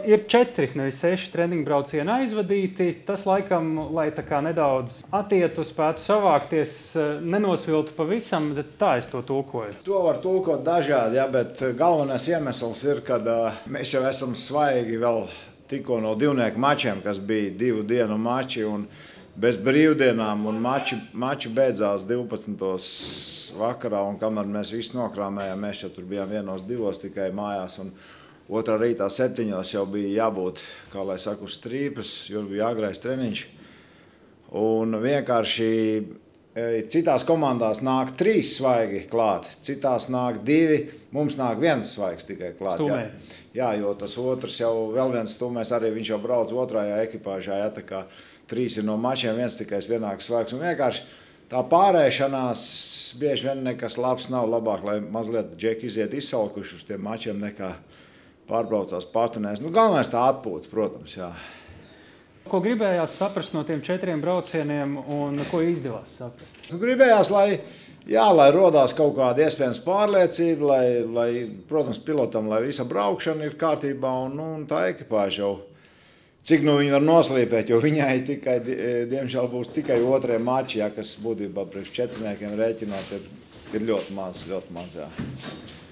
Ir 4, nevis 6 treniņu braucieni aizvadīti. Tas laikam, lai tā kā nedaudz attietu, spētu savākties, nenosviltu pavisam, bet tā es to tulkoju. To var tulkot dažādi, bet galvenais iemesls ir, ka mēs jau esam svaigi vēl tikko no divnieku mačiem, kas bija 2 dienu mači un bez brīvdienām, un mači beidzās 12. vakarā, un kamēr mēs visi nokrāmējām, mēs jau tur bijām 1-2 tikai mājās, un otrā rītā 7 jau bija jābūt, kā lai saka, uz strīpas, jo bija agrais treniņš. Un vienkārši citās komandās nāk 3 svaigi klāt, citās nāk 2, mums nāk 1 svaigs tikai klāt. Jā, jo tas otrs jau vēl viens stūmēs, arī viņš jau brauc otrajā ekipāžā, tā kā 3 ir no mačiem, 1 tikai vienāks svaigs. Un vienkārši tā pārēšanās bieži vien nekas labs nav, labāk, lai mazliet džeki iziet izsalkuši uz tiem mačiem nekā pārbraucās partnēs. Galvenais tā atpūta, protams, jā. Ko gribējās saprast no tiem 4 braucieniem un ko izdevās saprast? Gribējās, lai rodās kaut kāda iespējams pārliecība, lai protams, pilotam, lai visa braukšana ir kārtībā un tā ekipāža jau, cik viņi var noslīpēt, jo viņai tikai, diemžēl, būs tikai 2 mači, kas būtībā priekš 4 rēķināt ir ļoti maz, jā.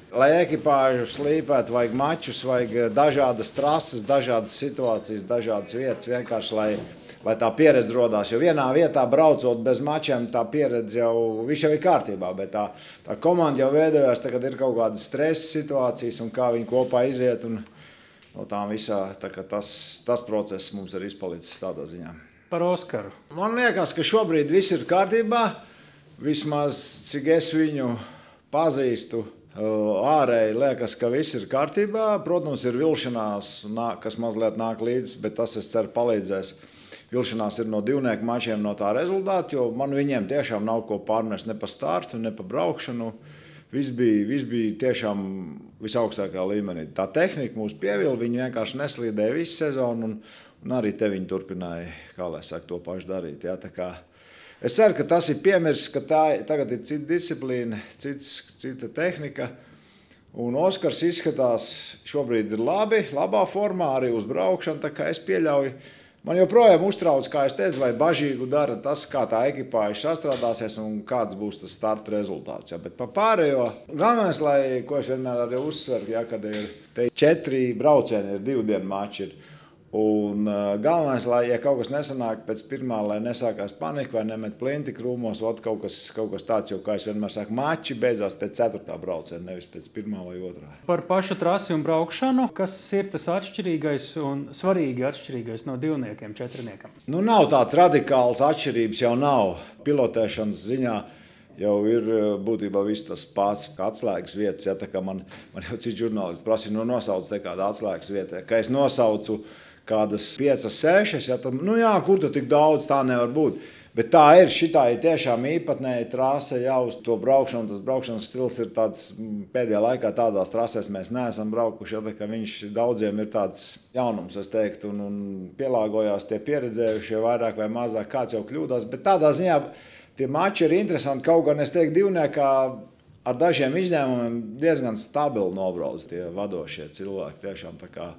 Lai ekipāžu slīpētu, vajag mačus, vajag dažādas trases, dažādas situācijas, dažādas vietas, vienkārši, lai tā pieredze rodās. Jo vienā vietā braucot bez mačiem, tā pieredze viss jau ir kārtībā, bet tā komanda jau veidojās, tagad ir kaut kādas stresa situācijas un kā viņi kopā iziet. Un no tām visā, tas process mums ir izpalicis tādā ziņā. Par Oskaru. Man liekas, ka šobrīd viss ir kārtībā, vismaz cik es viņu pazīstu. Ārēji liekas, ka viss ir kārtībā. Protams, ir vilšanās, kas mazliet nāk līdzi, bet tas, es ceru, palīdzēs. Vilšanās ir no divnieku mačiem no tā rezultāta, jo man viņiem tiešām nav ko pārmest ne pa startu, ne pa braukšanu. Viss bija tiešām visaugstākā līmenī. Tā tehnika mūs pievila, viņi vienkārši neslīdēja visu sezonu, un arī te viņi turpināja, kā lai saka, to pašu darīt. Jā, tā kā es ceru, ka tas ir piemirsts, ka tagad ir cita disciplīna, cita tehnika. Un Oskars izskatās šobrīd ir labā formā, arī uz braukšanu, tā kā es pieļauju. Man joprojām uztrauc, kā es teicu, vai bažīgu dara tas, kā tā ekipāža sastrādāsies un kāds būs tas starta rezultāts. Ja. Bet par pārējo, galvenais, ko es vienmēr arī uzsveru, ja, kad ir 4 braucieni, ir 2 dienu mači. Un galvenais, ja kaut kas nesanāk pēc pirmā, lai nesākās panika vai nemet plinti krūmos, kaut kas tāds, jo, kā es vienmēr saku, mači beidzās pēc 4. brauciena, nevis pēc 1. vai 2. Par pašu trasi un braukšanu, kas ir tas atšķirīgais un svarīgi atšķirīgais no divniekiem, 4? Nav tāds radikāls atšķirības, jau nav pilotēšanas ziņā. Jau ir būtībā viss tas pats, kā atslēgas vietas. Ja, tā kā man jau cits žurnālists prasīja, nosauc te kādu atslēgas vietu. Ka es nosaucu kādas 5, 6, ja, tad, kur tu tik daudz, tā nevar būt. Bet tā ir, šitā ir tiešām īpatnēja trase jau uz to braukšanu. Tas braukšanas stils ir tāds, pēdējā laikā tādās trasēs mēs neesam braukuši, ja, tā kā viņš daudziem ir tāds jaunums, es teiktu, un pielāgojās tie pieredzējušie vairāk vai mazāk, kāds jau kļūdās. Bet tādā ziņā tie mači ir interesanti, kaut gan es teiktu divniekā ar dažiem izņēmumiem diezgan stabili nobrauc tie vadošie cilvēki. Tiešām tā kā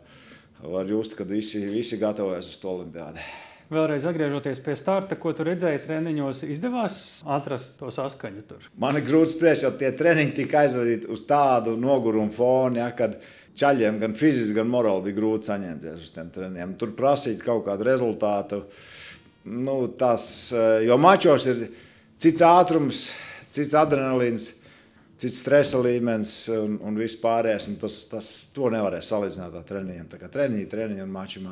var just, kad visi gatavojas uz to olimpiādi. Vēlreiz atgriežoties pie starta, ko tu redzēji treniņos, izdevās atrast to saskaņu tur? Man ir grūti spriest, jo tie treniņi tika aizvadīti uz tādu nogurumu fonu, ja, kad čaļiem gan fiziski, gan morāli bija grūti saņemties uz tiem treniņiem. Tur prasīt kaut kādu rezultātu. Jo mačos ir cits ātrums, cits adrenalīns, cits stresa līmenis un viss pārējais. To nevarēs salīdzināt ar treniņiem. Tā kā treniņi un mači.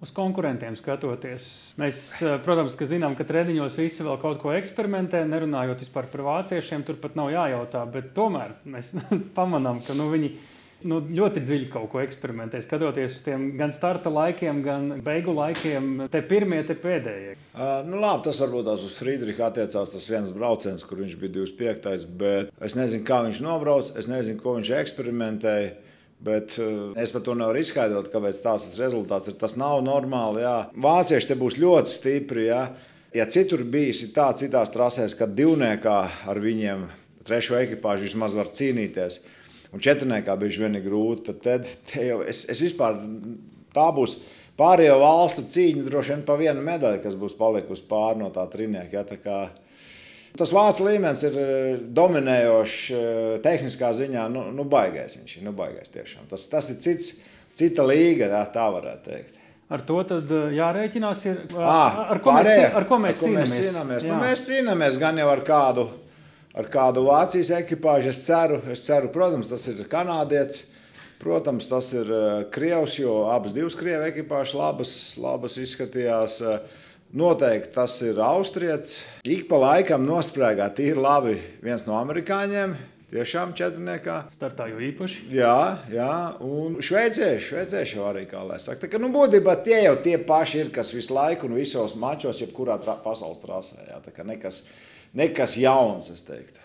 Uz konkurentiem skatoties, mēs, protams, ka zinām, ka treniņos visi vēl kaut ko eksperimentē, nerunājot vispār par vāciešiem, tur pat nav jājautā, bet tomēr mēs pamanām, ka viņi ļoti dziļi kaut ko eksperimentē, skatoties uz tiem gan starta laikiem, gan beigu laikiem, te pirmie, te pēdējie. Labi, tas varbūt tās uz Friedricha attiecās tas viens brauciens, kur viņš bija 25. Bet es nezinu, kā viņš nobrauc, es nezinu, ko viņš eksperimentēja, bet es par to nevaru izskaidrot, kāpēc tāds rezultāts ir. Tas nav normāli, jā. Vācieši te būs ļoti stipri, jā. Ja citur bijis tā citās trasēs, kad divniekā ar viņiem trešo ekipāžu vismaz var cīnīties, un 4. bieži vien ir grūti, tad te jau es vispār tā būs pārējo valstu cīņa droši vien pa vienu medaļu, kas būs palikusi pāri no tā trinieka. Ja, tā kā tas vācu līmenis ir dominējošs tehniskā ziņā, baigais viņš ir, baigais tiešām. Tas ir cita līga, tā varētu teikt. Ar to tad jārēķinās, ar ko mēs cīnāmies? Mēs cīnāmies gan jau ar kādu Vācijas ekipāžu. Es ceru, protams, tas ir kanādietis, protams, tas ir krievs, jo abas divas krievu ekipāžas labas izskatījās. Noteikti tas ir austrietis. Ik pa laikam nosprēgā tīri labi viens no amerikāņiem. Tiešām četrniekā. Startā jau īpaši. Jā, un šveicieši jau arī, kā lai saka. Tā kā, būtībā tie jau tie paši ir, kas visu laiku un visos mačos, jebkurā pasaules trasē. Jā, tā kā nekas jauns, es teiktu.